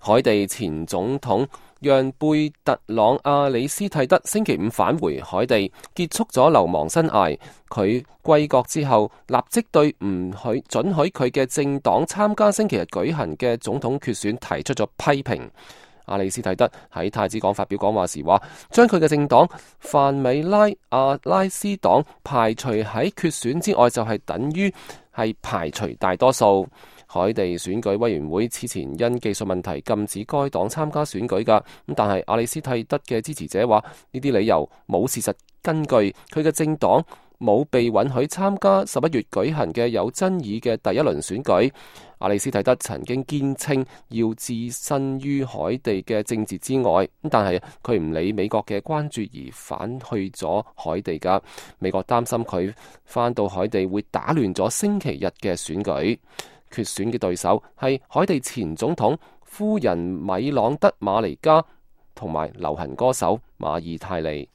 海地前總統讓貝特朗阿里斯蒂德星期五返回海地，結束咗流亡生涯。佢歸國之後，立即對唔准許佢嘅政黨參加星期日舉行嘅總統決選提出咗批評。阿里斯蒂德喺太子港發表講話時話，將佢嘅政黨泛美拉阿拉斯黨排除喺決選之外，就係等於係排除大多數。海地選舉委員會此前因技術問題禁止該黨參加選舉㗎，但係阿里斯蒂德嘅支持者話呢啲理由冇事實根據，佢嘅政黨冇被允許參加11月舉行嘅有爭議嘅第一輪選舉。阿里斯蒂德曾經堅稱要置身於海地嘅政治之外，但係佢唔理美國嘅關注而返去咗海地㗎。美國擔心佢返到海地會打亂咗星期日嘅選舉。決選嘅對手係海地前總統夫人米朗德馬尼加同埋流行歌手馬爾泰利。